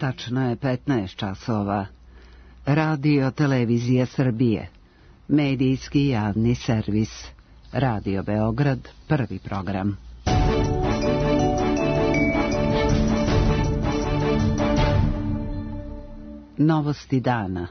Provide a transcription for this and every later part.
Tačno je 15 časova. Radio Televizija Srbije. Medijski javni servis. Radio Beograd, prvi program. Novosti dana.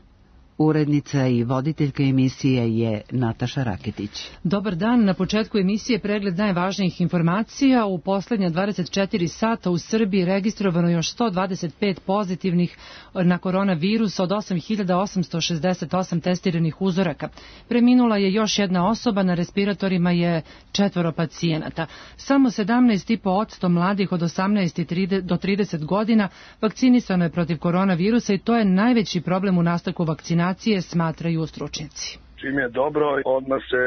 Urednica i voditeljka emisije je Nataša Raketić. Dobar dan, na početku emisije pregled najvažnijih informacija. U poslednja 24 sata u Srbiji registrovano još 125 pozitivnih na koronavirus od 8.868 testiranih uzoraka. Preminula je još jedna osoba, na respiratorima je 4 pacijenata. Samo 17,5% mladih od 18 do 30 godina vakcinisano je protiv koronavirusa i to je najveći problem u nastavku vakcinacije, smatraju stručnjaci. Čim je dobro, odmah se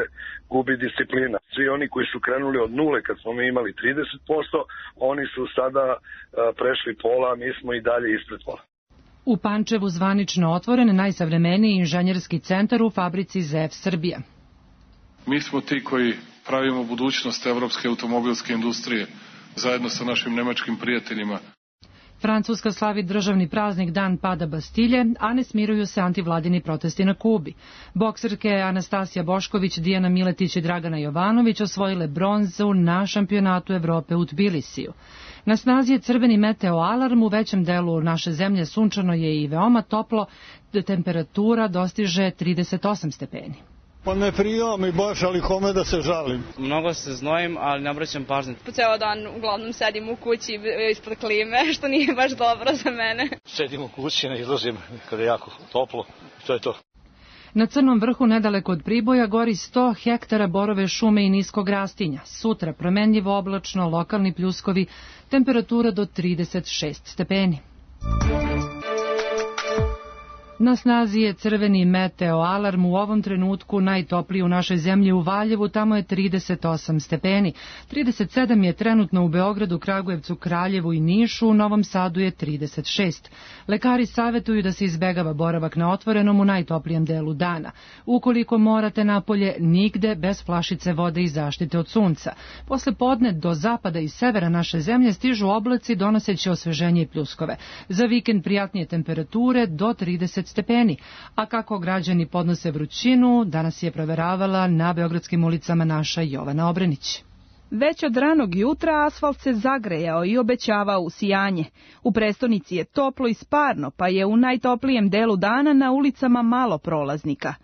gubi disciplina. Svi oni koji su krenuli od nule kad smo mi imali 30%, oni su sada prešli pola, mi smo i dalje ispred pola. U Pančevu zvanično otvoren najsavremeniji inženjerski centar u fabrici ZF Srbija. Mi smo ti koji pravimo budućnost evropske automobilske industrije zajedno sa našim nemačkim prijateljima. Francuska slavi državni praznik Dan pada Bastilje, a ne smiruju se antivladini protesti na Kubi. Bokserke Anastasija Bošković, Dijana Miletić i Dragana Jovanović osvojile bronzu na šampionatu Evrope u Tbilisiju. Na snazi je crveni meteo alarm, u većem delu naše zemlje sunčano je i veoma toplo, temperatura dostiže 38 stepeni. Pa ne prija mi baš, ali kome da se žalim. Mnogo se znojim, ali ne obraćam pažnju. Po ceo dan uglavnom sedim u kući ispod klime, što nije baš dobro za mene. Sedim u kući, ne izlazim kada je jako toplo, to je to. Na Crnom vrhu, nedaleko od Priboja, gori 100 hektara borove šume i niskog rastinja. Sutra promenljivo oblačno, lokalni pljuskovi, temperatura do 36 stepeni. Na snazi je crveni meteo alarm, u ovom trenutku najtopliji u našoj zemlji u Valjevu, tamo je 38 stepeni. 37 je trenutno u Beogradu, Kragujevcu, Kraljevu i Nišu, u Novom Sadu je 36. Lekari savjetuju da se izbegava boravak na otvorenom u najtoplijem delu dana. Ukoliko morate napolje, nigde bez flašice vode i zaštite od sunca. Posle podne do zapada i severa naše zemlje stižu oblaci donoseći osveženje i pljuskove. Za vikend prijatnije temperature do 30 stepeni. A kako građani podnose vrućinu, danas je proveravala na beogradskim ulicama naša Jovana Obrenić. Već od ranog jutra asfalt se zagrejao i obećavao usijanje. U prestonici je toplo i sparno, pa je u najtoplijem delu dana na ulicama malo prolaznika.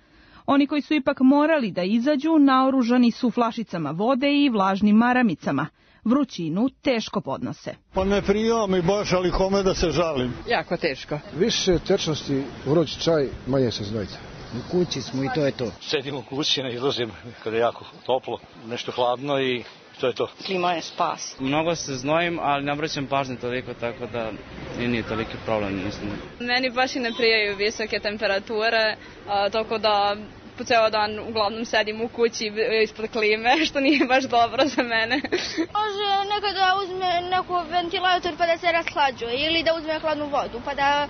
Oni koji su ipak morali da izađu, naoružani su flašicama vode i vlažnim maramicama. Vrućinu teško podnose. Pa ne prija mi baš, ali kome da se žalim. Jako teško. Više tečnosti, vruć čaj, manje se znojite. U kući smo i to je to. Sedim u kući, ne izlazim kada je jako toplo, nešto hladno i to je to. Klima je spas. Mnogo se znojim, ali ne obraćam pažnju toliko, tako da nije toliki problem. Mislim. Meni baš i ne prijaju visoke temperature, tako da po ceo dan uglavnom sedim u kući ispod klime, što nije baš dobro za mene. Može nekada uzme neku ventilator pa da se rashlađuje ili da uzme hladnu vodu pa da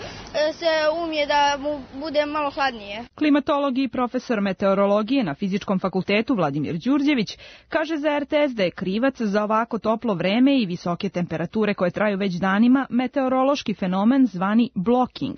se umije da mu bude malo hladnije. Klimatolog i profesor meteorologije na Fizičkom fakultetu Vladimir Đurđević kaže za RTS da je krivac za ovako toplo vreme i visoke temperature koje traju već danima meteorološki fenomen zvani blocking.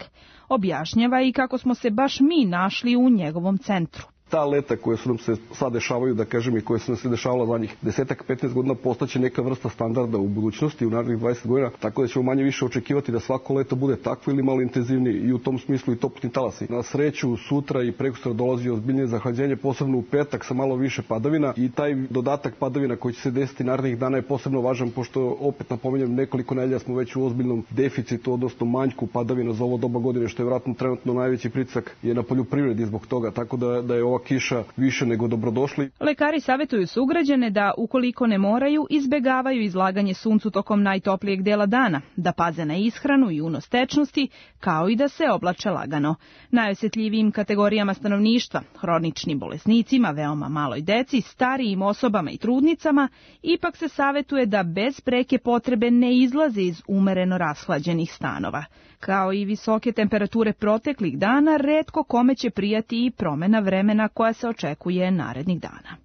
Objašnjava i kako smo se baš mi našli u njegovom centru. Ta leta koje su nam se sad dešavaju, da kažem, i koje su nam se dešavala zadnjih 10-15 godina, postaće neka vrsta standarda u budućnosti, u narednih 20 godina, tako da ćemo manje više očekivati da svako leto bude takvo ili malo intenzivniji i u tom smislu i toplotni talasi. Na sreću, sutra i prekosutra dolazi ozbiljnije zahlađenje, posebno u petak sa malo više padavina i taj dodatak padavina koji će se desiti narednih dana je posebno važan, pošto opet napominjem nekoliko nedelja smo već u ozbiljnom deficitu, odnosno manjku padavina za ovo doba godine, što je vjerojatno trenutno najveći pritisak je na poljoprivredi zbog toga, tako da je ova kiša više nego dobrodošli. Lekari savjetuju sugrađane da, ukoliko ne moraju, izbegavaju izlaganje suncu tokom najtoplijeg dela dana, da paze na ishranu i unos tečnosti, kao i da se oblače lagano. Najosjetljivijim kategorijama stanovništva, hroničnim bolesnicima, veoma maloj deci, starijim osobama i trudnicama, ipak se savjetuje da bez preke potrebe ne izlaze iz umereno rashlađenih stanova. Kao i visoke temperature proteklih dana, retko kome će prijati i promjena vremena koja se očekuje narednih dana.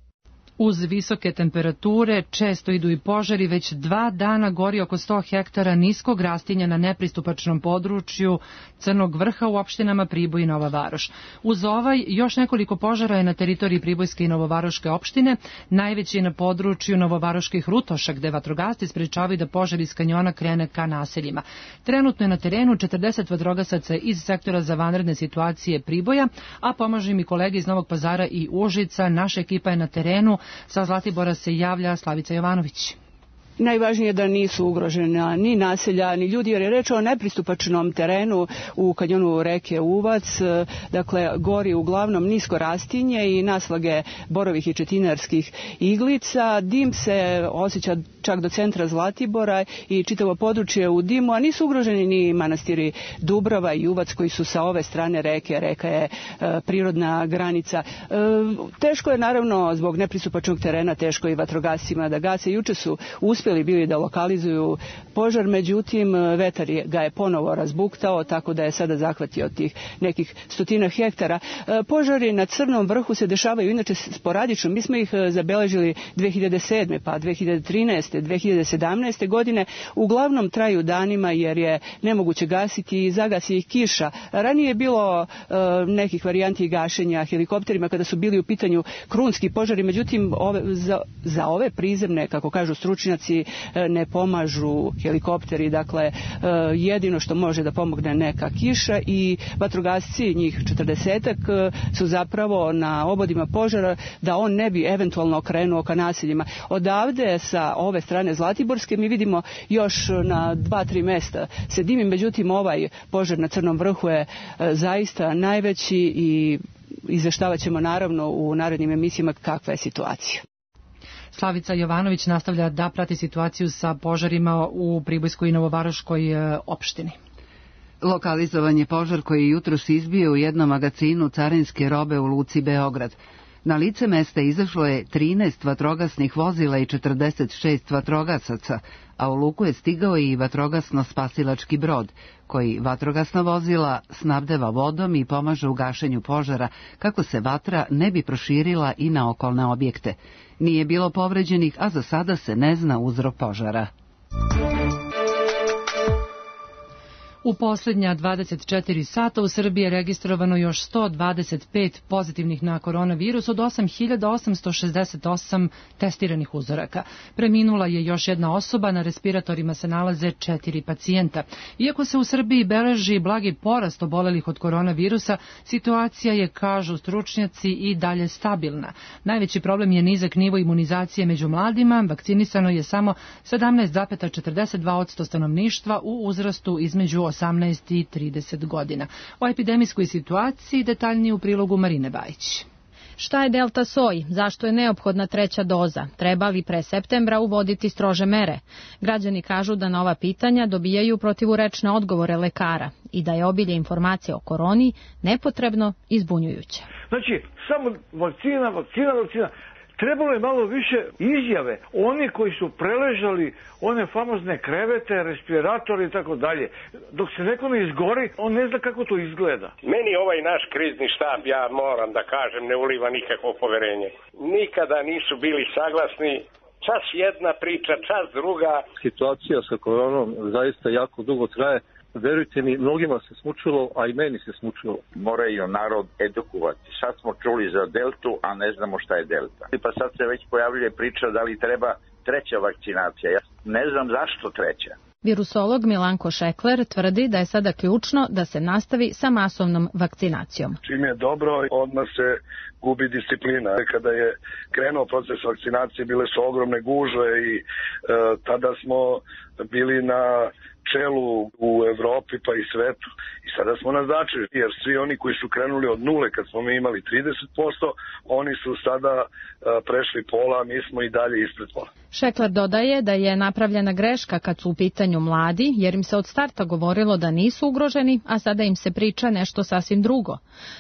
Uz visoke temperature često idu i požari, već 2 dana gori oko 100 hektara niskog rastinja na nepristupačnom području Crnog Vrha u opštinama Priboj i Nova Varoš. Uz ovaj, još nekoliko požara je na teritoriji Pribojske i Novovaroške opštine, najveći je na području Novovaroških Rutoša, gde vatrogasci sprečavaju da požar iz kanjona krene ka naseljima. Trenutno je na terenu 40 vatrogasaca iz sektora za vanredne situacije Priboja, a pomažu im i kolege iz Novog Pazara i Užica. Naša ekipa je na terenu. Sa Zlatibora se javlja Slavica Jovanović. Najvažnije je da nisu ugrožena ni naselja, ni ljudi, jer je reč o nepristupačnom terenu u kanjonu reke Uvac. Dakle, gori uglavnom nisko rastinje i naslage borovih i četinarskih iglica. Dim se osjeća čak do centra Zlatibora i čitavo područje u dimu, a nisu ugroženi ni manastiri Dubrava i Uvac koji su sa ove strane reke. Reka je prirodna granica. Teško je naravno zbog nepristupačnog terena, teško i vatrogascima da gase. Juče su uspjeli bili da lokalizuju požar, međutim vetar ga je ponovo razbuktao, tako da je sada zahvatio tih nekih 100 hektara. Požari na Crnom Vrhu se dešavaju inače sporadično. Mi smo ih zabeležili 2007. pa 2013. 2017. godine. Uglavnom traju danima jer je nemoguće gasiti i zagasi ih kiša. Ranije je bilo nekih varijanti gašenja helikopterima kada su bili u pitanju krunski požari, međutim za ove prizemne, kako kažu stručnjaci, ne pomažu helikopteri, dakle jedino što može da pomogne neka kiša i vatrogasci, njih 40-ak, su zapravo na obodima požara da on ne bi eventualno okrenuo ka naseljima. Odavde sa ove strane Zlatiborske mi vidimo još na 2-3 mesta se dimi, međutim ovaj požar na Crnom Vrhu je zaista najveći i izveštavat ćemo naravno u narednim emisijama kakva je situacija. Slavica Jovanović nastavlja da prati situaciju sa požarima u Pribojskoj i Novovaroškoj opštini. Lokalizovan je požar koji je jutros izbio u jednom magacinu carinske robe u luci Beograd. Na lice mesta izašlo je 13 vatrogasnih vozila i 46 vatrogasaca, a u luku je stigao i vatrogasno-spasilački brod, koji vatrogasna vozila snabdeva vodom i pomaže u gašenju požara kako se vatra ne bi proširila i na okolne objekte. Nije bilo povređenih, a za sada se ne zna uzrok požara. U posljednja 24 sata u Srbiji je registrovano još 125 pozitivnih na koronavirus od 8.868 testiranih uzoraka. Preminula je još jedna osoba, na respiratorima se nalaze 4 pacijenta. Iako se u Srbiji beleži blagi porast obolelih od koronavirusa, situacija je, kažu stručnjaci, i dalje stabilna. Najveći problem je nizak nivo imunizacije među mladima. Vakcinisano je samo 17,42% stanovništva u uzrastu između 18 i 30 godina. O epidemijskoj situaciji detaljnije u prilogu Marine Bajić. Šta je delta soj? Zašto je neophodna 3. doza? Treba li pre septembra uvoditi strože mere? Građani kažu da na ova pitanja dobijaju protivurečne odgovore lekara i da je obilje informacija o koroni nepotrebno i zbunjujuće. Znači, samo vakcina. Trebalo je malo više izjave. Oni koji su preležali one famozne krevete, respiratori i tako dalje. Dok se neko ne izgori, on ne zna kako to izgleda. Meni ovaj naš krizni štab, ja moram da kažem, ne uliva nikakvo poverenje. Nikada nisu bili saglasni. Čas jedna priča, čas druga. Situacija sa koronom zaista jako dugo traje. Verujte mi, mnogima se smučilo, a i meni se smučilo. Moraju narod edukovati. Sad smo čuli za deltu, a ne znamo šta je delta. Pa sad se već pojavljuje priča da li treba 3. vakcinacija. Ja ne znam zašto 3. Virusolog Milanko Šekler tvrdi da je sada ključno da se nastavi sa masovnom vakcinacijom. Čim je dobro, odmah se gubi disciplina. Kada je krenuo proces vakcinacije, bile su ogromne gužve i tada smo bili na čelu u Evropi pa i svetu. I sada smo na začelju, jer svi oni koji su krenuli od nule kad smo mi imali 30%, oni su sada prešli pola, a mi smo i dalje ispred pola. Šekler dodaje da je napravljena greška kad su u pitanju mladi, jer im se od starta govorilo da nisu ugroženi, a sada im se priča nešto sasvim drugo.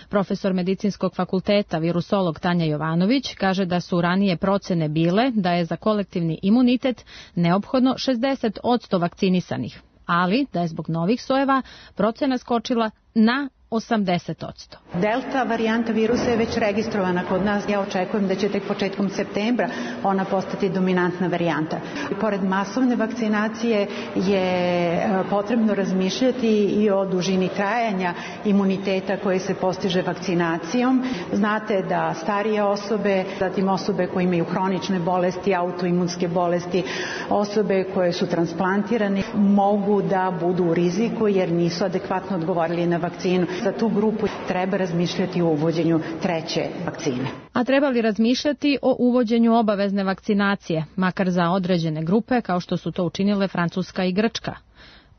Profesor Medicinskog fakulteta, virusolog Tanja Jovanović, kaže da su ranije procene bile da je za kolektivni imunitet neophodno 60% vakcinisanih, ali da je zbog novih sojeva procena skočila na 80%. Delta varijanta virusa je već registrovana kod nas. Ja očekujem da će tek početkom septembra ona postati dominantna varijanta. Pored masovne vakcinacije je potrebno razmišljati i o dužini trajanja imuniteta koji se postiže vakcinacijom. Znate da starije osobe, zatim osobe koje imaju hronične bolesti, autoimunske bolesti, osobe koje su transplantirane mogu da budu u riziku jer nisu adekvatno odgovorili na vakcinu. Za tu grupu treba razmišljati o uvođenju treće vakcine. A treba li razmišljati o uvođenju obavezne vakcinacije, makar za određene grupe kao što su to učinile Francuska i Grčka?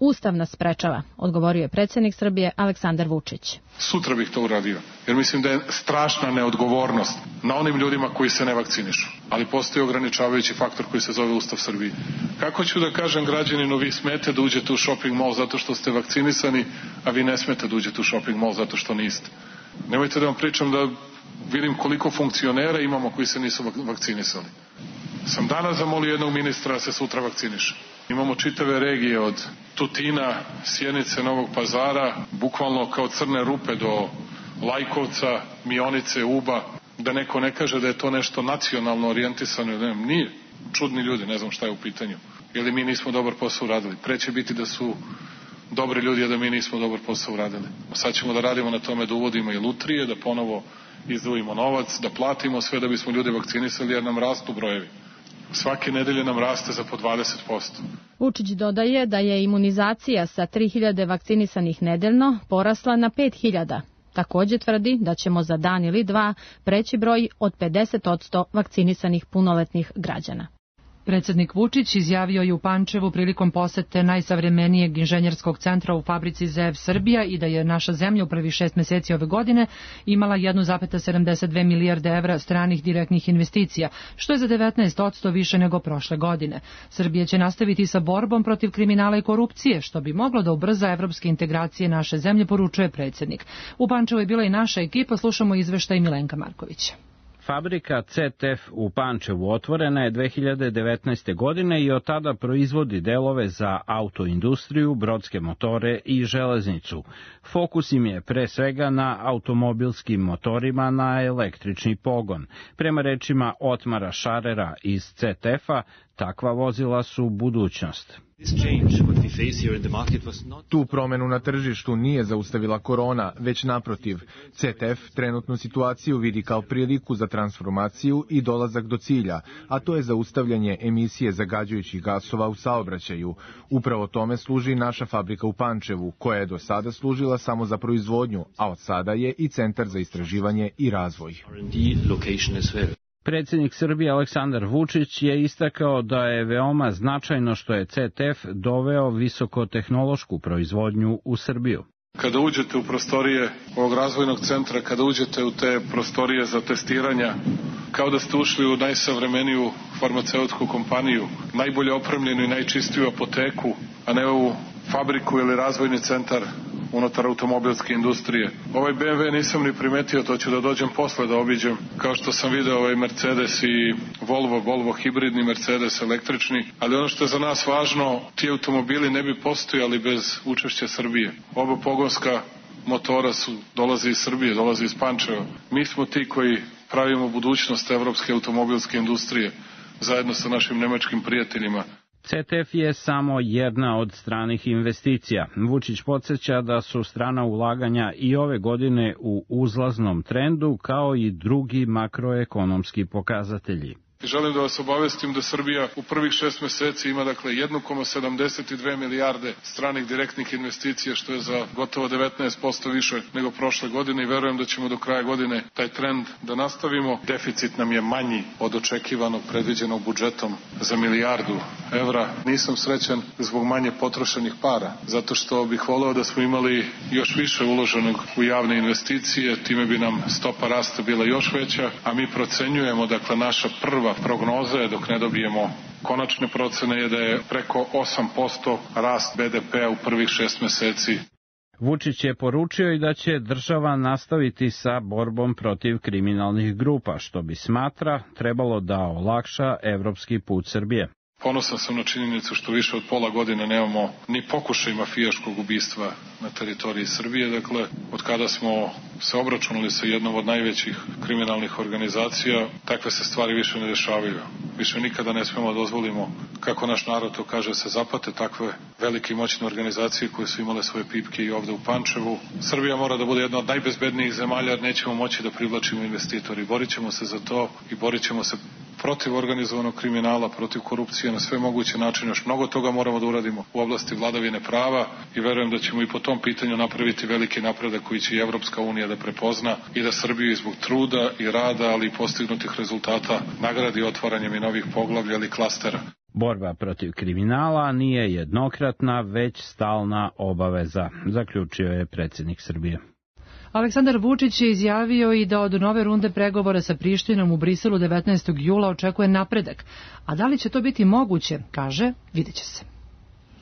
Ustav nas sprečava, odgovorio je predsjednik Srbije Aleksandar Vučić. Sutra bih to uradio, jer mislim da je strašna neodgovornost na onim ljudima koji se ne vakcinišu. Ali postoji ograničavajući faktor koji se zove Ustav Srbije. Kako ću da kažem građaninu, vi smete da uđete u shopping mall zato što ste vakcinisani, a vi ne smete da uđete u shopping mall zato što niste? Nemojte da vam pričam da vidim koliko funkcionera imamo koji se nisu vakcinisali. Sam danas zamolio jednog ministra da se sutra vakciniše. Imamo čitave regije od Tutina, Sjenice, Novog Pazara, bukvalno kao crne rupe do Lajkovca, Mionice, Uba, da neko ne kaže da je to nešto nacionalno orijentisano. Nije. Čudni ljudi, ne znam šta je u pitanju. Ili mi nismo dobar posao uradili. Pre će biti da su dobri ljudi, a da mi nismo dobar posao uradili. Sad ćemo da radimo na tome da uvodimo i lutrije, da ponovo izdvojimo novac, da platimo sve da bismo ljude vakcinisali jer nam rastu brojevi. Svake nedelje nam raste za po 20%. Vučić dodaje da je imunizacija sa 3000 vakcinisanih nedeljno porasla na 5000. Također tvrdi da ćemo za dan ili dva preći broj od 50% vakcinisanih punoletnih građana. Predsjednik Vučić izjavio je u Pančevu prilikom posete najsavremenijeg inženjerskog centra u fabrici ZEV Srbija i da je naša zemlja u prvih 6 mjeseci ove godine imala 1,72 milijarde evra stranih direktnih investicija, što je za 19% više nego prošle godine. Srbija će nastaviti sa borbom protiv kriminala i korupcije, što bi moglo da ubrza evropske integracije naše zemlje, poručuje predsjednik. U Pančevu je bila i naša ekipa, slušamo izveštaj Milenka Markovića. Fabrika CTF u Pančevu otvorena je 2019. godine i od tada proizvodi delove za autoindustriju, brodske motore i železnicu. Fokus im je pre svega na automobilskim motorima na električni pogon. Prema rečima Otmara Šarera iz CTF-a, takva vozila su budućnost. Tu promenu na tržištu nije zaustavila korona, već naprotiv. CTF trenutnu situaciju vidi kao priliku za transformaciju i dolazak do cilja, a to je zaustavljanje emisije zagađujućih gasova u saobraćaju. Upravo tome služi naša fabrika u Pančevu, koja je do sada služila samo za proizvodnju, a od sada je i centar za istraživanje i razvoj. Predsjednik Srbije Aleksandar Vučić je istakao da je veoma značajno što je CTF doveo visokotehnološku proizvodnju u Srbiju. Kada uđete u prostorije ovog razvojnog centra, kada uđete u te prostorije za testiranja, kao da ste ušli u najsavremeniju farmaceutsku kompaniju, najbolje opremljenu i najčistiju apoteku, a ne u fabriku ili razvojni centar unutar automobilske industrije. Ovaj BMW nisam ni primetio, to ću da dođem posle da obiđem, kao što sam video ovaj Mercedes i Volvo hibridni, Mercedes električni, ali ono što je za nas važno, ti automobili ne bi postojali bez učešća Srbije. Oba pogonska motora dolaze iz Srbije, dolaze iz Pančeva. Mi smo ti koji pravimo budućnost evropske automobilske industrije, zajedno sa našim nemačkim prijateljima. CTF je samo jedna od stranih investicija. Vučić podsjeća da su strana ulaganja i ove godine u uzlaznom trendu, kao i drugi makroekonomski pokazatelji. Želim da vas obavestim da Srbija u prvih 6 meseci ima 1,72 milijarde stranih direktnih investicija, što je za gotovo 19% više nego prošle godine i verujem da ćemo do kraja godine taj trend da nastavimo. Deficit nam je manji od očekivanog predviđenog budžetom za milijardu evra. Nisam srećan zbog manje potrošenih para, zato što bih voleo da smo imali još više uloženog u javne investicije, time bi nam stopa rasta bila još veća, a mi procenjujemo, naša prva prognoza je, dok ne dobijemo konačne procene, je da je preko 8% rast BDP-a u prvih 6 meseci. Vučić je poručio i da će država nastaviti sa borbom protiv kriminalnih grupa, što bi, smatra, trebalo da olakša evropski put Srbije. Ponosan sam na činjenicu što više od pola godine nemamo ni pokušaj mafijaškog ubistva na teritoriji Srbije. Dakle, od kada smo se obračunali sa jednom od najvećih kriminalnih organizacija, takve se stvari više ne dešavaju. Više nikada ne smemo dozvolimo, kako naš narod to kaže, se zapate takve velike i moćne organizacije koje su imale svoje pipke i ovde u Pančevu. Srbija mora da bude jedna od najbezbednijih zemalja, jer nećemo moći da privlačimo investitori. Borit ćemo se za to i borit ćemo se protiv organizovanog kriminala, protiv korupcije na sve moguće načine. Još mnogo toga moramo da uradimo u oblasti vladavine prava i verujem da ćemo i po tom pitanju napraviti veliki napredak koji će i Evropska unija da prepozna i da Srbiju zbog truda i rada, ali i postignutih rezultata nagradi otvaranjem i novih poglavlja ili klastera. Borba protiv kriminala nije jednokratna, već stalna obaveza, zaključio je predsjednik Srbije. Aleksandar Vučić je izjavio i da od nove runde pregovora sa Prištinom u Briselu 19. jula očekuje napredak. A da li će to biti moguće, kaže, vidjet će se.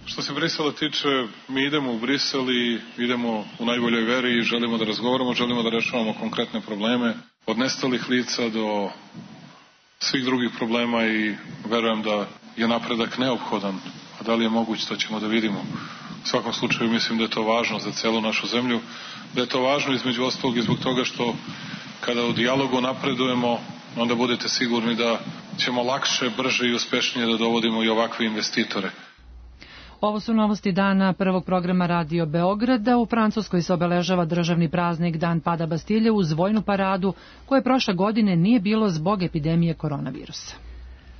Što se Brisela tiče, mi idemo u Brisel i idemo u najboljoj veri i želimo da razgovaramo, želimo da rešavamo konkretne probleme, od nestalih lica do svih drugih problema i verujem da je napredak neophodan. A da li je moguće, to ćemo da vidimo. U svakom slučaju mislim da je to važno za celu našu zemlju, da je to važno između ostalog i zbog toga što kada u dijalogu napredujemo, onda budete sigurni da ćemo lakše, brže i uspešnije da dovodimo i ovakve investitore. Ovo su novosti dana prvog programa Radio Beograda. U Francuskoj se obeležava državni praznik Dan pada Bastilje uz vojnu paradu koje prošle godine nije bilo zbog epidemije koronavirusa.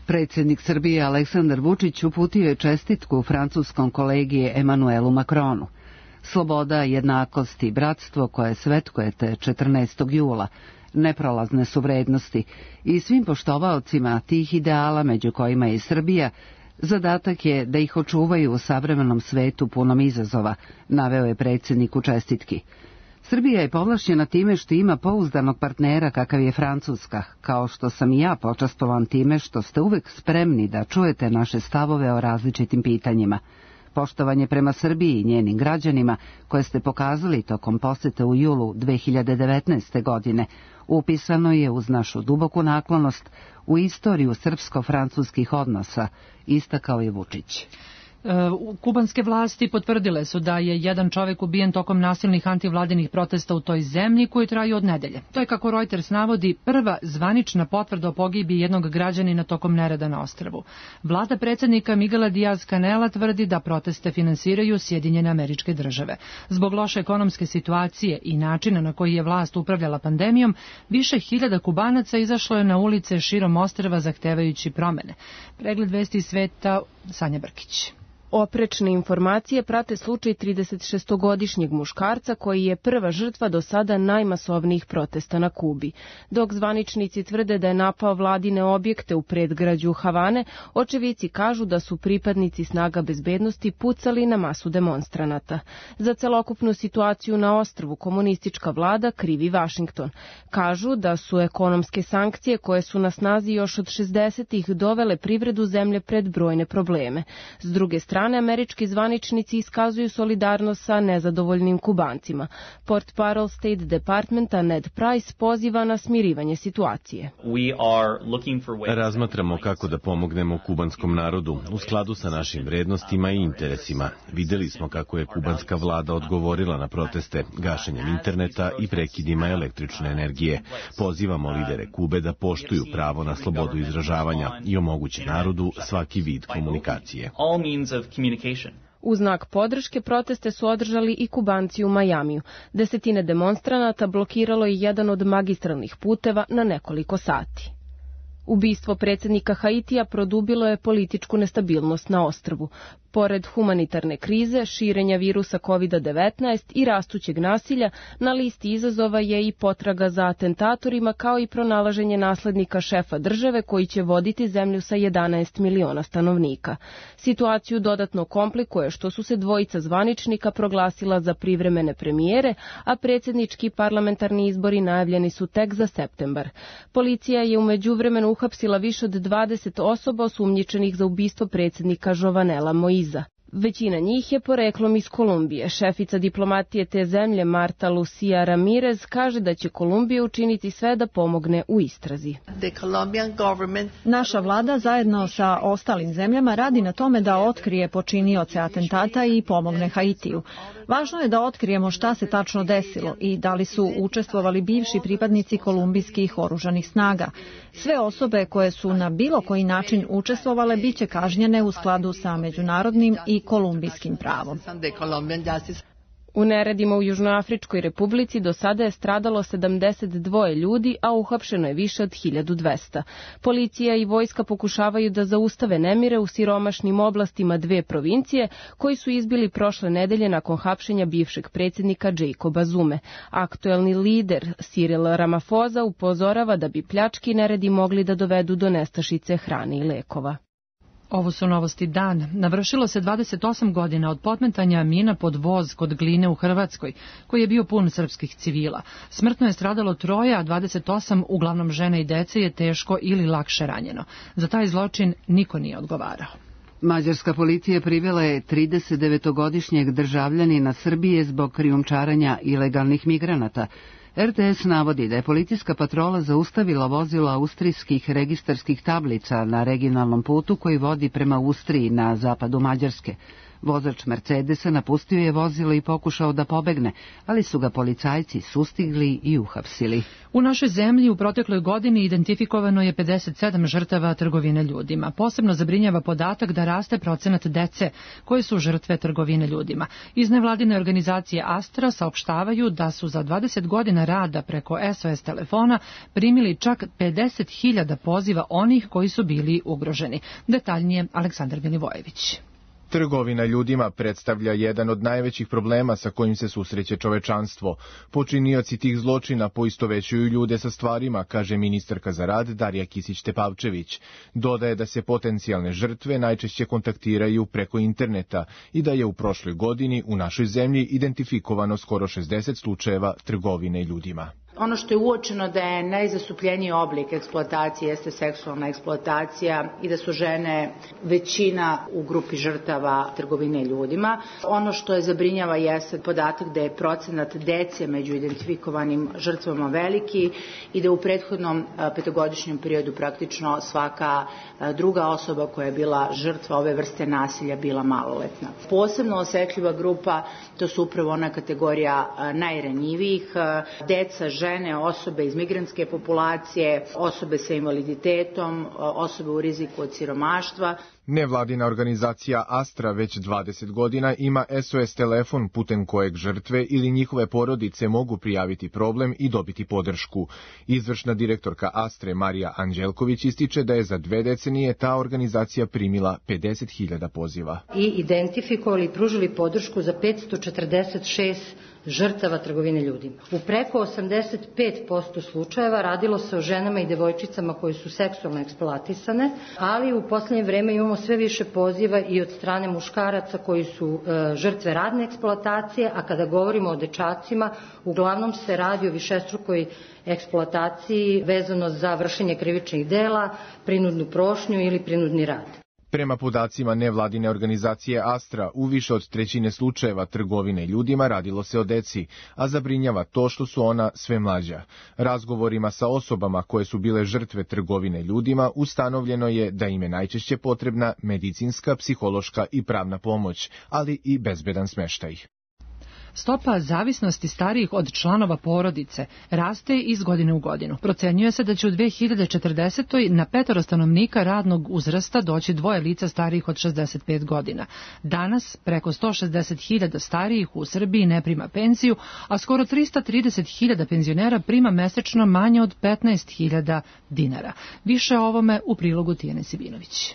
Predsjednik Srbije Aleksandar Vučić uputio je čestitku francuskom kolegi Emanuelu Macronu. Sloboda, jednakost i bratstvo koje svetkujete 14. jula, neprolazne su vrednosti i svim poštovaocima tih ideala, među kojima je i Srbija, zadatak je da ih očuvaju u savremenom svetu punom izazova, naveo je predsjednik u čestitki. Srbija je povlašćena time što ima pouzdanog partnera kakav je Francuska, kao što sam i ja počastovan time što ste uvek spremni da čujete naše stavove o različitim pitanjima. Poštovanje prema Srbiji i njenim građanima, koje ste pokazali tokom posete u julu 2019. godine, upisano je uz našu duboku naklonost u istoriju srpsko-francuskih odnosa, istakao je Vučić. Kubanske vlasti potvrdile su da je jedan čovjek ubijen tokom nasilnih antivladinih protesta u toj zemlji koji traju od nedelje. To je, kako Reuters navodi, prva zvanična potvrda o pogibiji jednog građanina tokom nereda na ostrvu. Vlada predsjednika Miguela Díaz-Canela tvrdi da proteste finansiraju Sjedinjene Američke Države. Zbog loše ekonomske situacije i načina na koji je vlast upravljala pandemijom, više hiljada Kubanaca izašlo je na ulice širom ostrva zahtevajući promene. Pregled vesti iz sveta, Sanja Brkić. Oprečne informacije prate slučaj 36-godišnjeg muškarca koji je prva žrtva do sada najmasovnijih protesta na Kubi. Dok zvaničnici tvrde da je napao vladine objekte u predgrađu Havane, očevici kažu da su pripadnici snaga bezbednosti pucali na masu demonstranata. Za celokupnu situaciju na ostrvu komunistička vlada krivi Vašington. Kažu da su ekonomske sankcije koje su na snazi još od 60-ih dovele privredu zemlje pred brojne probleme. S druge strane, američki zvaničnici iskazuju solidarnost sa nezadovoljnim Kubancima. Portparol State Departmenta Ned Price poziva na smirivanje situacije. Razmatramo kako da pomognemo kubanskom narodu u skladu sa našim vrednostima i interesima. Videli smo kako je kubanska vlada odgovorila na proteste gašenjem interneta i prekidima električne energije. Pozivamo lidere Kube da poštuju pravo na slobodu izražavanja i omoguće narodu svaki vid komunikacije. U znak podrške proteste su održali i Kubanci u Majamiju. Desetine demonstranata blokiralo je jedan od magistralnih puteva na nekoliko sati. Ubistvo predsjednika Haitija produbilo je političku nestabilnost na ostrvu. Pored humanitarne krize, širenja virusa COVID-19 i rastućeg nasilja, na listi izazova je i potraga za atentatorima kao i pronalaženje naslednika šefa države koji će voditi zemlju sa 11 miliona stanovnika. Situaciju dodatno komplikuje što su se dvojica zvaničnika proglasila za privremene premijere, a predsjednički parlamentarni izbori najavljeni su tek za septembar. Policija je u međuvremenu uhapsila više od 20 osoba osumnjičenih za ubistvo predsjednika Jovenela Moïse. Većina njih je poreklom iz Kolumbije. Šefica diplomatije te zemlje Marta Lucia Ramirez kaže da će Kolumbija učiniti sve da pomogne u istrazi. Naša vlada zajedno sa ostalim zemljama radi na tome da otkrije počinioce atentata i pomogne Haitiju. Važno je da otkrijemo šta se tačno desilo i da li su učestvovali bivši pripadnici kolumbijskih oružanih snaga. Sve osobe koje su na bilo koji način učestvovale biće kažnjene u skladu sa međunarodnim i kolumbijskim pravom. U neredima u Južnoafričkoj republici do sada je stradalo 72 ljudi, a uhapšeno je više od 1200. Policija i vojska pokušavaju da zaustave nemire u siromašnim oblastima dve provincije, koji su izbili prošle nedelje nakon hapšenja bivšeg predsjednika Jacoba Zume. Aktuelni lider Cyril Ramaphosa upozorava da bi pljački neredi mogli da dovedu do nestašice hrane i lekova. Ovo su novosti dan. Navršilo se 28 godina od podmetanja mina pod voz kod Gline u Hrvatskoj, koji je bio pun srpskih civila. Smrtno je stradalo 3, a 28, uglavnom žene i dece, je teško ili lakše ranjeno. Za taj zločin niko nije odgovarao. Mađarska policija privela je 39-godišnjeg državljanina Srbije zbog krijumčarenja ilegalnih migranata. RTS navodi da je policijska patrola zaustavila vozilo austrijskih registarskih tablica na regionalnom putu koji vodi prema Austriji na zapadu Mađarske. Vozač Mercedesa napustio je vozilo i pokušao da pobegne, ali su ga policajci sustigli i uhapsili. U našoj zemlji u protekloj godini identifikovano je 57 žrtava trgovine ljudima. Posebno zabrinjava podatak da raste procenat dece koje su žrtve trgovine ljudima. Iz nevladine organizacije Astra saopštavaju da su za 20 godina rada preko SOS telefona primili čak 50.000 poziva onih koji su bili ugroženi. Detaljnije Aleksandar Milivojević. Trgovina ljudima predstavlja jedan od najvećih problema sa kojim se susreće čovečanstvo. Počinioci tih zločina poistovećuju ljude sa stvarima, kaže ministarka za rad Darija Kisić-Tepavčević. Dodaje da se potencijalne žrtve najčešće kontaktiraju preko interneta i da je u prošloj godini u našoj zemlji identifikovano skoro 60 slučajeva trgovine ljudima. Ono što je uočeno da je najzastupljeniji oblik eksploatacije jeste seksualna eksploatacija i da su žene većina u grupi žrtava trgovine ljudima. Ono što je zabrinjava jeste podatak da je procenat dece među identifikovanim žrtvama veliki i da u prethodnom petogodišnjem periodu praktično svaka druga osoba koja je bila žrtva ove vrste nasilja bila maloletna. Posebno osetljiva grupa to su upravo ona kategorija najranjivijih, deca, žene, osobe iz migrantske populacije, osobe sa invaliditetom, osobe u riziku od siromaštva. Nevladina organizacija Astra već 20 godina ima SOS telefon putem kojeg žrtve ili njihove porodice mogu prijaviti problem i dobiti podršku. Izvršna direktorka Astre Marija Anđelković ističe da je za 2 decenije ta organizacija primila 50.000 poziva. I identifikovali i pružili podršku za 546 žrtava trgovine ljudima. U preko 85% slučajeva radilo se o ženama i devojčicama koje su seksualno eksploatisane, ali u poslednje vreme imamo sve više poziva i od strane muškaraca koji su žrtve radne eksploatacije, a kada govorimo o dečacima, uglavnom se radi o višestrukoj eksploataciji vezano za vršenje krivičnih dela, prinudnu prošnju ili prinudni rad. Prema podacima nevladine organizacije Astra, u više od 1/3 slučajeva trgovine ljudima radilo se o deci, a zabrinjava to što su ona sve mlađa. Razgovorima sa osobama koje su bile žrtve trgovine ljudima ustanovljeno je da im je najčešće potrebna medicinska, psihološka i pravna pomoć, ali i bezbedan smeštaj. Stopa zavisnosti starijih od članova porodice raste iz godine u godinu. Procenjuje se da će u 2040. na 5 stanovnika radnog uzrasta doći 2 lica starijih od 65 godina. Danas preko 160.000 starijih u Srbiji ne prima penziju, a skoro 330.000 penzionera prima mesečno manje od 15.000 dinara. Više o ovome u prilogu Tijane Sibinović.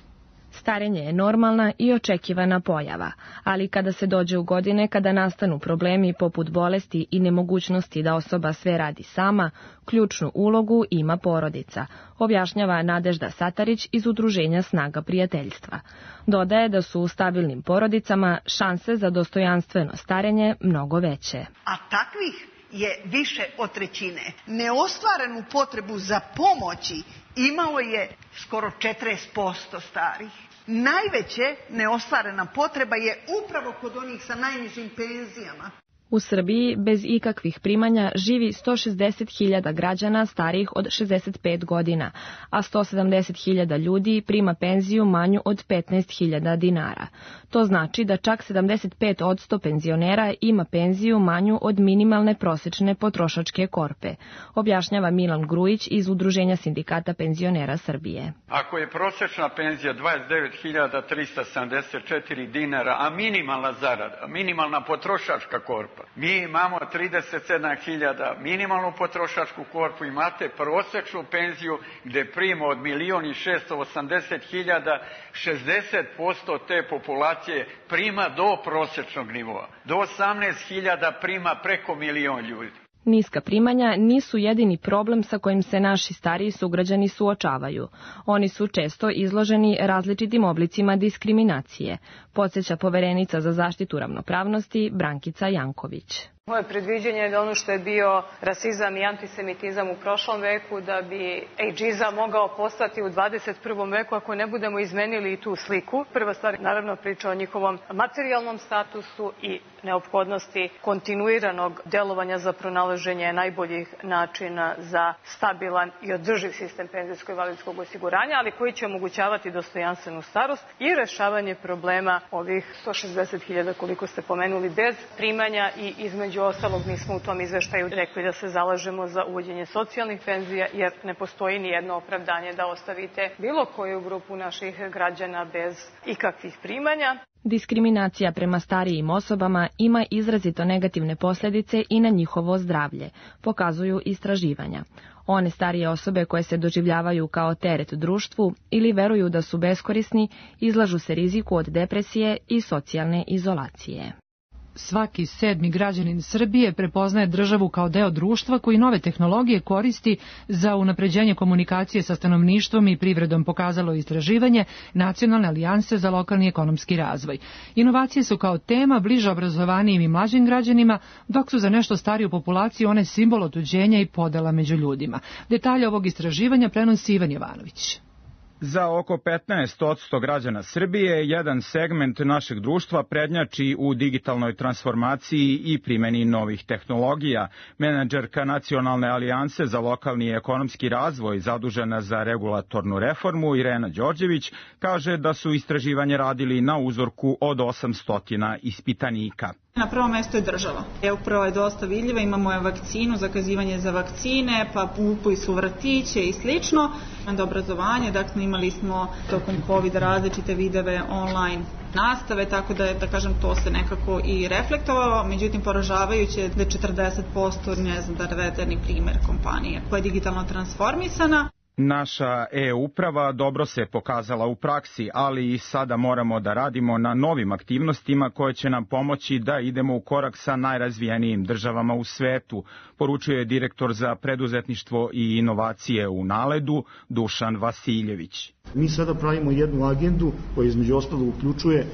Starenje je normalna i očekivana pojava, ali kada se dođe u godine kada nastanu problemi poput bolesti i nemogućnosti da osoba sve radi sama, ključnu ulogu ima porodica, objašnjava Nadežda Satarić iz Udruženja Snaga prijateljstva. Dodaje da su u stabilnim porodicama šanse za dostojanstveno starenje mnogo veće. A takvih je više od 1/3. Neostvarenu potrebu za pomoći imalo je skoro 40% starih. Najveće neostvarena potreba je upravo kod onih sa najnižim penzijama. U Srbiji bez ikakvih primanja živi 160.000 građana starijih od 65 godina, a 170.000 ljudi prima penziju manju od 15.000 dinara. To znači da čak 75% penzionera ima penziju manju od minimalne prosečne potrošačke korpe, objašnjava Milan Grujić iz Udruženja sindikata penzionera Srbije. Ako je prosečna penzija 29.374 dinara, a minimalna zarada, minimalna potrošačka korpa, mi imamo 37.000 minimalnu potrošačku korpu, imate prosečnu penziju gde prima od 1.680.000, 60% te populacije prima do prosečnog nivoa, do 18.000 prima preko 1.000.000 ljudi. Niska primanja nisu jedini problem sa kojim se naši stariji sugrađani suočavaju. Oni su često izloženi različitim oblicima diskriminacije, podsjeća poverenica za zaštitu ravnopravnosti Brankica Janković. Moje predviđenje je da ono što je bio rasizam i antisemitizam u prošlom veku, da bi ageizam mogao postati u 21. veku ako ne budemo izmenili i tu sliku. Prva stvar, naravno, priča o njihovom materijalnom statusu i neophodnosti kontinuiranog delovanja za pronalaženje najboljih načina za stabilan i održiv sistem penzijsko-invalidskog osiguranja, ali koji će omogućavati dostojanstvenu starost i rešavanje problema ovih 160.000 koliko ste pomenuli bez primanja i između ostalog mi smo u tom izveštaju rekli da se zalažemo za uvođenje socijalnih penzija jer ne postoji ni jedno opravdanje da ostavite bilo koju grupu naših građana bez ikakvih primanja. Diskriminacija prema starijim osobama ima izrazito negativne posljedice i na njihovo zdravlje, pokazuju istraživanja. One starije osobe koje se doživljavaju kao teret društvu ili veruju da su beskorisni, izlažu se riziku od depresije i socijalne izolacije. Svaki 7. građanin Srbije prepoznaje državu kao deo društva koji nove tehnologije koristi za unapređenje komunikacije sa stanovništvom i privredom, pokazalo istraživanje Nacionalne alijanse za lokalni ekonomski razvoj. Inovacije su kao tema bliže obrazovanijim i mlađim građanima, dok su za nešto stariju populaciju one simbol otuđenja i podela među ljudima. Detalje ovog istraživanja prenosi Ivan Jovanović. Za oko 15% građana Srbije jedan segment našeg društva prednjači u digitalnoj transformaciji i primjeni novih tehnologija. Menadžerka Nacionalne alijanse za lokalni i ekonomski razvoj zadužena za regulatornu reformu Irena Đorđević kaže da su istraživanje radili na uzorku od 800 ispitanika. Na prvom mestu je država. Upravo je dosta vidljiva, imamo je vakcinu, zakazivanje za vakcine, pa upui su vrtiće i slično. Onda obrazovanje, dakle imali smo tokom COVID različite videve online nastave, tako da je, da kažem, to se nekako i reflektovalo. Međutim, poražavajuće je da je 40% navedeni primjer kompanije koja je digitalno transformisana. Naša e-uprava dobro se pokazala u praksi, ali i sada moramo da radimo na novim aktivnostima koje će nam pomoći da idemo u korak sa najrazvijenijim državama u svetu, poručuje direktor za preduzetništvo i inovacije u NALED-u Dušan Vasiljević. Mi sada pravimo jednu agendu koja između ostalog uključuje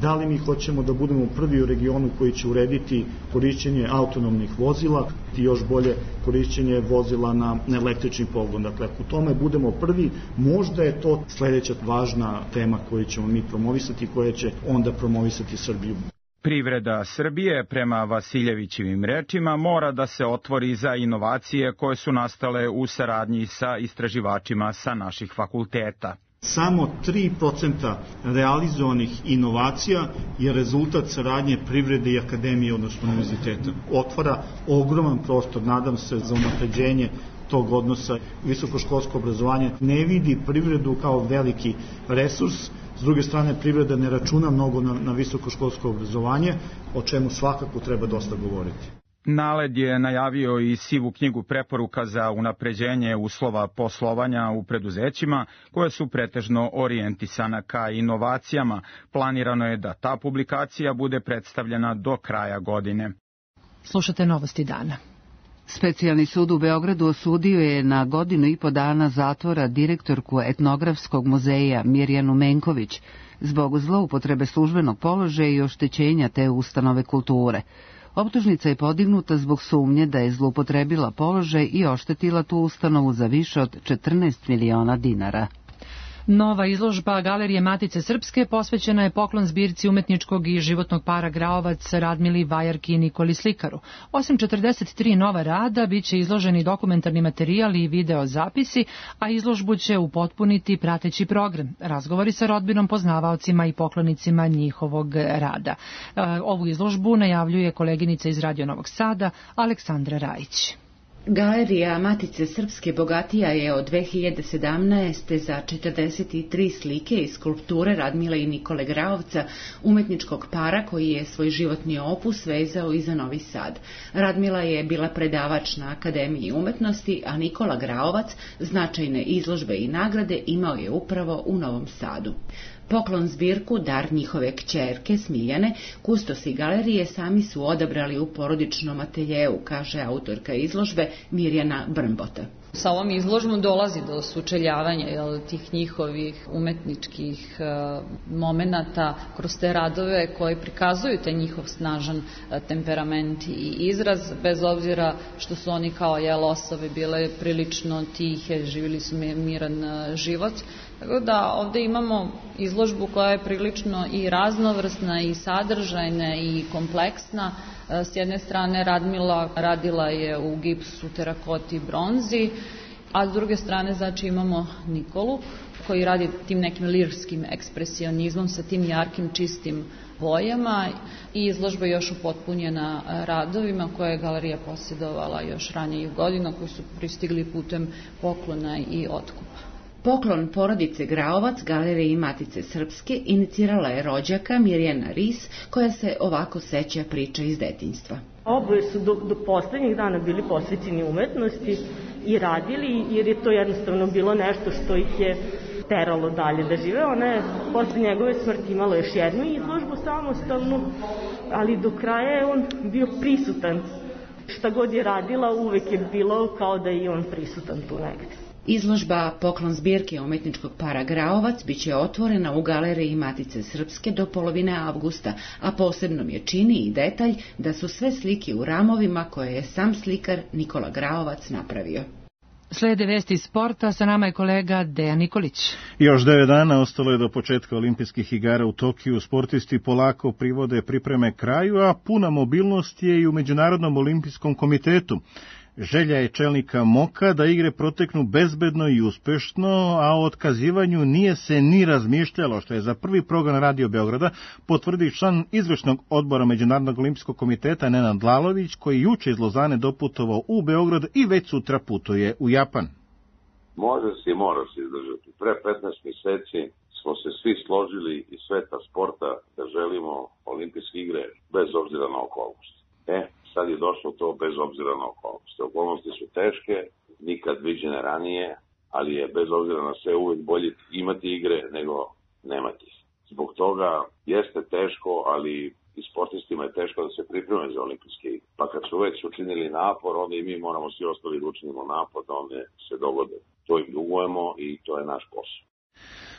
da li mi hoćemo da budemo prvi u regionu koji će urediti korišćenje autonomnih vozila i još bolje korišćenje vozila na električni pogon. Dakle, ako u tome budemo prvi, možda je to sledeća važna tema koju ćemo mi promovisati i koja će onda promovisati Srbiju. Privreda Srbije, prema Vasiljevićevim rečima, mora da se otvori za inovacije koje su nastale u saradnji sa istraživačima sa naših fakulteta. Samo 3% realizovanih inovacija je rezultat saradnje privrede i akademije, odnosno univerziteta. Otvara ogroman prostor, nadam se, za unapređenje tog odnosa. Visokoškolsko obrazovanje ne vidi privredu kao veliki resurs. S druge strane, privreda ne računa mnogo na visokoškolsko obrazovanje, o čemu svakako treba dosta govoriti. NALED je najavio i sivu knjigu preporuka za unapređenje uslova poslovanja u preduzećima, koje su pretežno orijentisana ka inovacijama. Planirano je da ta publikacija bude predstavljena do kraja godine. Slušate Novosti dana. Specijalni sud u Beogradu osudio je na 1,5 godina zatvora direktorku etnografskog muzeja Mirjanu Menković zbog zloupotrebe službenog položaja i oštećenja te ustanove kulture. Optužnica je podignuta zbog sumnje da je zloupotrebila položaj i oštetila tu ustanovu za više od 14 miliona dinara. Nova izložba Galerije Matice Srpske posvećena je poklon zbirci umetničkog i životnog para Graovac Radmili Vajarki i Nikoli Slikaru. Osim 43 nova rada, bit će izloženi dokumentarni materijali i video zapisi, a izložbu će upotpuniti prateći program. Razgovori sa rodbinom, poznavaocima i poklonicima njihovog rada. Ovu izložbu najavljuje koleginica iz Radio Novog Sada, Aleksandra Rajić. Galerija Matice Srpske bogatija je od 2017. za 43 slike i skulpture Radmile i Nikole Graovca, umetničkog para koji je svoj životni opus vezao i za Novi Sad. Radmila je bila predavač na Akademiji umetnosti, a Nikola Graovac značajne izložbe i nagrade imao je upravo u Novom Sadu. Poklon zbirku, dar njihove kćerke Smiljane, kustosi galerije sami su odabrali u porodičnom ateljeu, kaže autorka izložbe Mirjana Brmbota. Sa ovom izložbom dolazi do sučeljavanja tih njihovih umetničkih momenata kroz te radove koji prikazuju taj njihov snažan temperament i izraz, bez obzira što su oni kao osobe bile prilično tihe, živjeli su miran život. Tako da ovde imamo izložbu koja je prilično i raznovrsna i sadržajna i kompleksna. S jedne strane Radmila radila je u gipsu, terakoti i bronzi, a s druge strane znači imamo Nikolu koji radi tim nekim lirskim ekspresionizmom sa tim jarkim čistim bojama i izložba je još upotpunjena radovima koje je galerija posjedovala još ranijih godina koji su pristigli putem poklona i otkupa. Poklon porodice Graovac Galeriji Matice Srpske inicirala je rođaka Mirjana Ris, koja se ovako seća priča iz detinjstva. Oboje su do poslednjih dana bili posvećeni umetnosti i radili, jer je to jednostavno bilo nešto što ih je teralo dalje da žive. Ona je posle njegove smrti imala još jednu izložbu samostalnu, ali do kraja je on bio prisutan. Šta god je radila, uvek je bilo kao da je i on prisutan tu negde. Izložba Poklon zbirke umetničkog para Graovac biće otvorena u Galeriji Matice Srpske do polovine avgusta, a posebno je čini i detalj da su sve slike u ramovima koje je sam slikar Nikola Graovac napravio. Slede vesti iz sporta, sa nama je kolega Dejan Nikolić. Još 9 dana ostalo je do početka olimpijskih igara u Tokiju. Sportisti polako privode pripreme kraju, a puna mobilnost je i u Međunarodnom olimpijskom komitetu. Želja je čelnika MOK-a da igre proteknu bezbedno i uspešno, a o otkazivanju nije se ni razmišljalo, što je za prvi program Radio Beograda potvrdio član izvršnog odbora Međunarodnog olimpijskog komiteta Nenad Lalović, koji juče iz Lozane doputovao u Beograd i već sutra putuje u Japan. Može se i mora se izdržati. Pre 15 meseci smo se svi složili iz sveta sporta da želimo olimpijske igre bez obzira na okolnosti. Sad je došlo to bez obzira na okolnosti. Okolnosti su teške, nikad viđene ranije, ali je bez obzira na sve uvijek bolje imati igre nego nemati. Zbog toga jeste teško, ali i sportistima je teško da se pripreme za olimpijske igre. Pa kad su već učinili napor, onda i mi moramo svi ostali da učinimo napor da one se dogode. To im dugujemo i to je naš posao.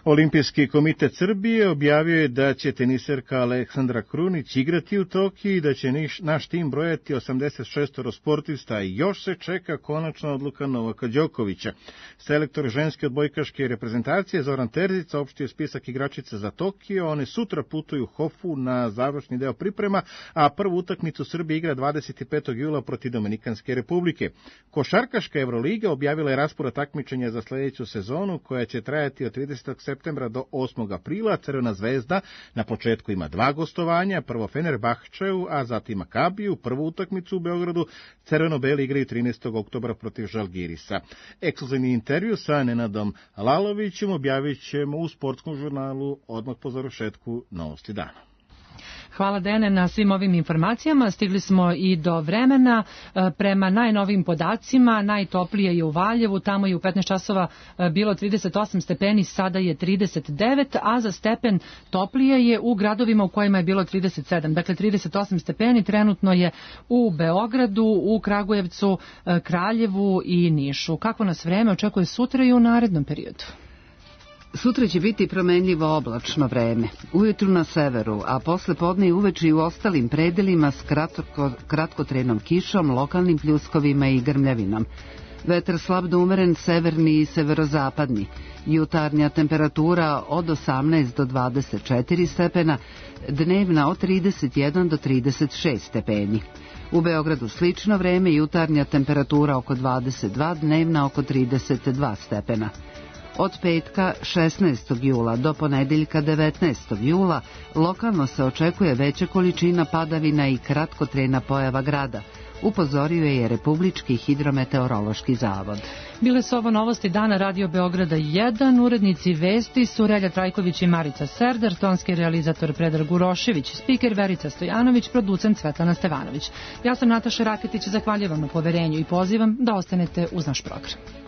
Olimpijski komitet Srbije objavio je da će teniserka Aleksandra Krunić igrati u Tokiju i da će naš tim brojati 86 sportista i još se čeka konačna odluka Novaka Đokovića. Selektor ženske odbojkaške reprezentacije Zoran Terzić saopštio spisak igračica za Tokio. One sutra putuju u Hofu na završni deo priprema, a prvu utakmicu Srbije igra 25. jula protiv Dominikanske republike. Košarkaška Evroliga objavila je raspored takmičenja za sledeću sezonu koja će trajati od 30. septembra do 8. aprila. Crvena zvezda na početku ima 2 gostovanja, prvo Fenerbahčeu, a zatim Makabiju, prvu utakmicu u Beogradu. Crveno-beli igraju 13. oktobra protiv Žalgirisa. Ekskluzivni intervju sa Nenadom Lalovićem objavit ćemo u sportskom žurnalu odmah po završetku Novosti dana. Hvala Dene na svim ovim informacijama. Stigli smo i do vremena. Prema najnovim podacima, najtoplije je u Valjevu, tamo je u 15 časova bilo 38 stepeni, sada je 39, a za stepen toplije je u gradovima u kojima je bilo 37. Dakle, 38 stepeni trenutno je u Beogradu, u Kragujevcu, Kraljevu i Nišu. Kako nas vreme očekuje sutra i u narednom periodu? Sutra će biti promenljivo oblačno vreme. Ujutru na severu, a posle podne i uveče i u ostalim predelima s kratkotrenom kišom, lokalnim pljuskovima i grmljavinom. Vetar slab do umeren severni i severozapadni. Jutarnja temperatura od 18 do 24 stepena, dnevna od 31 do 36 stepeni. U Beogradu slično vreme, jutarnja temperatura oko 22, dnevna oko 32 stepena. Od petka 16. jula do ponedeljka 19. jula lokalno se očekuje veća količina padavina i kratkotrajna pojava grada, upozorio je Republički hidrometeorološki zavod. Bile su ovo novosti dana Radio Beograda 1, urednici vesti su Relja Trajković i Marica Serdar, tonski realizator Predrag Urošević, spiker Verica Stojanović, producent Svetlana Stevanović. Ja sam Nataša Raketić, zahvaljujem na poverenju i pozivam da ostanete uz naš program.